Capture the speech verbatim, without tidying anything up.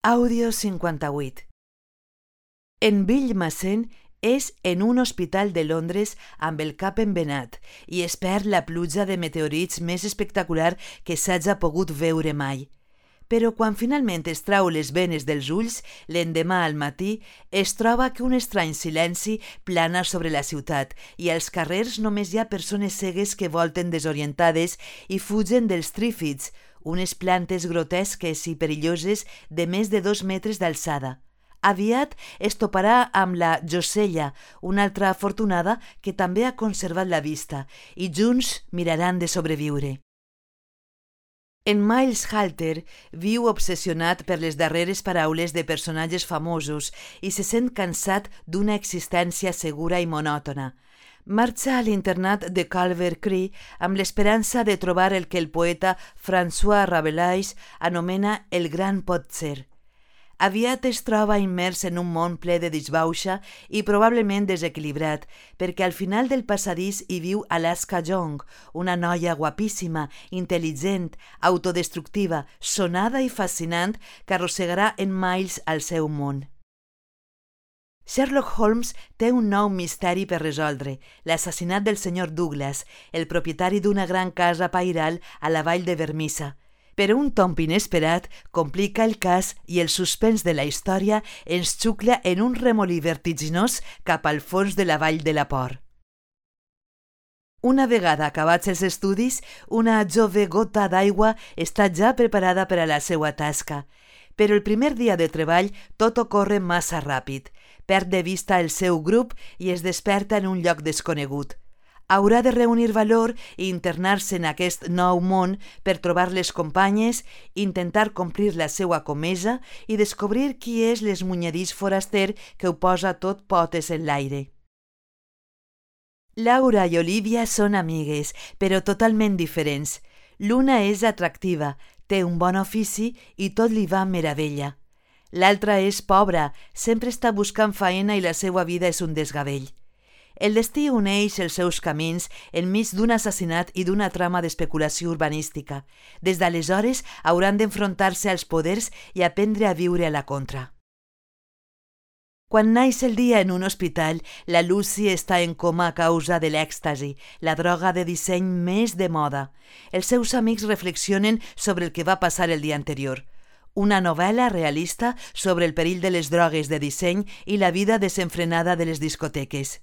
Àudio cinquanta-vuit. En Bill Massen és en un hospital de Londres amb el cap embenat i es perd la pluja de meteorits més espectacular que s'haja pogut veure mai. Però quan finalment es trau les venes dels ulls, l'endemà al matí, es troba que un estrany silenci plana sobre la ciutat i als carrers només hi ha persones cegues que volten desorientades i fugen dels trífids, unes plantes grotesques i perilloses de més de dos metres d'alçada. Aviat es toparà amb la Josella, una altra afortunada que també ha conservat la vista, i junts miraran de sobreviure. En Miles Halter viu obsessionat per les darreres paraules de personatges famosos i se sent cansat d'una existència segura i monòtona. Marxa a l'internat de Culver Cree amb l'esperança de trobar el que el poeta François Rabelais anomena el gran potser. Aviat es troba immers en un món ple de disbauxa i probablement desequilibrat, perquè al final del passadís hi viu Alaska Young, una noia guapíssima, intel·ligent, autodestructiva, sonada i fascinant que arrossegarà en Miles al seu món. Sherlock Holmes té un nou misteri per resoldre, l'assassinat del senyor Douglas, el propietari d'una gran casa pairal a la vall de Vermissa. Però un tomb inesperat complica el cas i el suspens de la història ens xucla en un remolí vertiginós cap al fons de la vall de la por. Una vegada acabats els estudis, una jove gota d'aigua està ja preparada per a la seva tasca. Però el primer dia de treball tot ocorre massa ràpid. Perd de vista el seu grup i es desperta en un lloc desconegut. Haurà de reunir valor i internar-se en aquest nou món per trobar les companyes, intentar complir la seva comesa i descobrir qui és l'esmunyedís foraster que ho posa tot potes en l'aire. Laura i Olivia són amigues, però totalment diferents. L'una és atractiva, té un bon ofici i tot li va meravella. L'altra és pobra, sempre està buscant feina i la seva vida és un desgavell. El destí uneix els seus camins enmig d'un assassinat i d'una trama d'especulació urbanística. Des d'aleshores hauran d'enfrontar-se als poders i aprendre a viure a la contra. Quan naix el dia en un hospital, la Lucy està en coma a causa de l'èxtasi, la droga de disseny més de moda. Els seus amics reflexionen sobre el que va passar el dia anterior. Una novel·la realista sobre el perill de les drogues de disseny i la vida desenfrenada de les discoteques.